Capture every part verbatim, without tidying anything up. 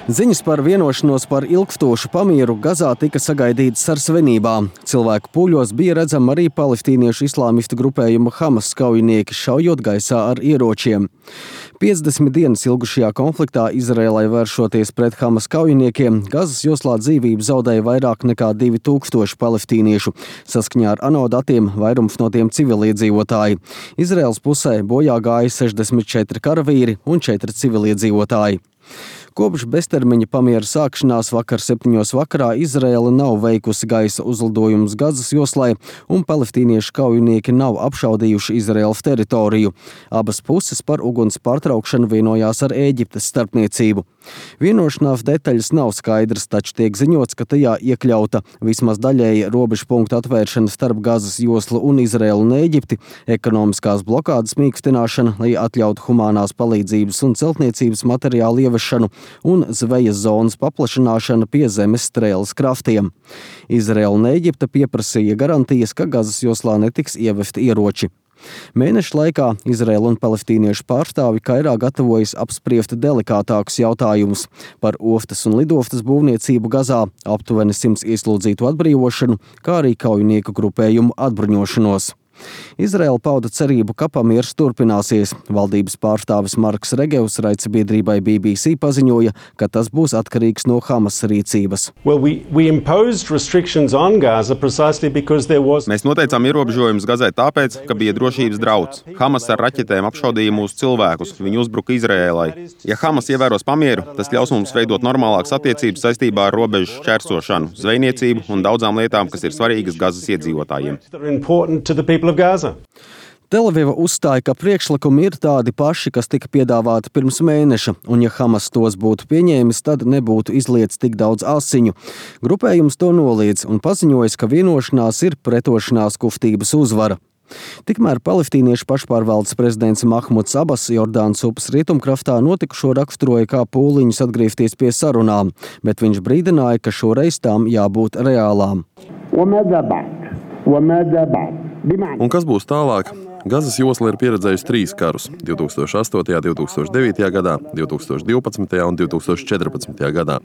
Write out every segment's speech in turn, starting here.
Ziņas par vienošanos par ilgstošu pamieru Gazā tika sagaidītas ar svinībām. Cilvēku pūļos bija redzami arī palestīniešu islāmistu grupējuma Hamas kaujinieki šaujot gaisā ar ieročiem. piecdesmit dienas ilgušajā konfliktā Izraēlai vēršoties pret Hamas kaujiniekiem, Gazas joslā dzīvību zaudēja vairāk nekā divi tūkstoši palestīniešu. Saskaņā ar ANO datiem vairums no tiem civiliedzīvotāji. Izraēlas pusē bojā gāja sešdesmit četri karavīri un četri civiliedzīvotāji. Kopš beztermiņa pamiera sākšanās vakar septiņos vakarā Izraēla nav veikusi gaisa uzlidojumus Gazas joslai un palestīniešu kaujinieki nav apšaudījuši Izraēlas teritoriju. Abas puses par uguns pārtraukšanu vienojās ar Ēģiptes starpniecību. Vienošanās detaļas nav skaidras, taču tiek ziņots, ka tajā iekļauta vismaz daļēji robežu punktu atvēršana starp Gazas joslu un Izraēlu un Ēģipti, ekonomiskās blokādes mīkstināšana, lai atļautu humānās palīdzības un celtniecības materiālu ievešanu, un zvejas zonas paplašināšana pie zemes strēles kraftiem. Izraēla un Ēģipte pieprasīja garantijas, ka Gazas joslā netiks ievesti ieroči. Mēneša laikā Izraēla un palestīniešu pārstāvi Kairā gatavojas apspriest delikātākus jautājumus par ostas un lidostas būvniecību Gazā, aptuveni simts ieslodzītu atbrīvošanu, kā arī kaujinieku grupējumu atbruņošanos. Izraēla pauda cerību, ka pamiers turpināsies. Valdības pārstāvis Marks Regevs raidsabiedrībai B B C paziņoja, ka tas būs atkarīgs no Hamas rīcības. Well, we, we was... Mēs noteicām ierobežojumus Gazai tāpēc, ka bija drošības drauds. Hamas ar raķetēm apšaudīja mūsu cilvēkus, viņi uzbruka Izraēlai. Ja Hamas ievēros pamieru, tas ļaus mums veidot normālākas attiecības saistībā ar robežu šķērsošanu, zvejniecību un daudzām lietām, kas ir svarīgas Gazas iedzīvotājiem. Telaviva uzstāja, ka priekšlikumi ir tādi paši, kas tika piedāvāti pirms mēneša, un ja Hamas tos būtu pieņēmis, tad nebūtu izlietis tik daudz asiņu. Grupējums to noliedz un paziņojas, ka vienošanās ir pretošanās kustības uzvara. Tikmēr palestīniešu pašpārvaldes prezidents Mahmuds Abas Jordānas upes rietumkraftā notikušo raksturoja kā pūliņus atgriezties pie sarunām, bet viņš brīdināja, ka šoreiz tām jābūt reālām. Un kas būs tālāk? Gazas josla ir pieredzējusi trīs karus – divi tūkstoši astotajā, divi tūkstoši devītajā gadā, divi tūkstoši divpadsmitajā un divi tūkstoši četrpadsmitajā gadā.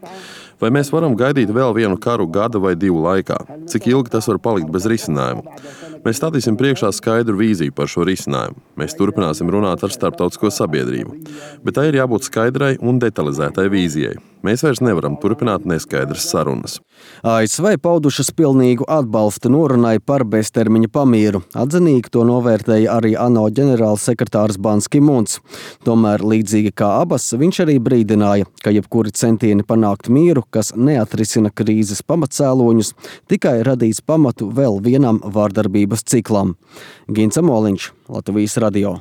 Vai mēs varam gaidīt vēl vienu karu gada vai divu laikā? Cik ilgi tas var palikt bez risinājuma? Mēs stādīsim priekšā skaidru vīziju par šo risinājumu. Mēs turpināsim runāt ar starptautisko sabiedrību. Bet tai ir jābūt skaidrai un detalizētai vīzijai. Mēs vairs nevaram turpināt neskaidras sarunas. A S V paudušas pilnīgu atbalstu norunai par beztermiņa pamieru. Atzinīgi to novērtēja arī ANO ģenerālsekretārs Bans Ki-muns. Tomēr, līdzīgi kā Abas, viņš arī brīdināja, ka jebkuri centieni panākt mieru, kas neatrisina krīzes pamatcēloņus, tikai radīs pamatu vēl vienam vārdarbības ciklam. Gins Amoliņš, Latvijas radio.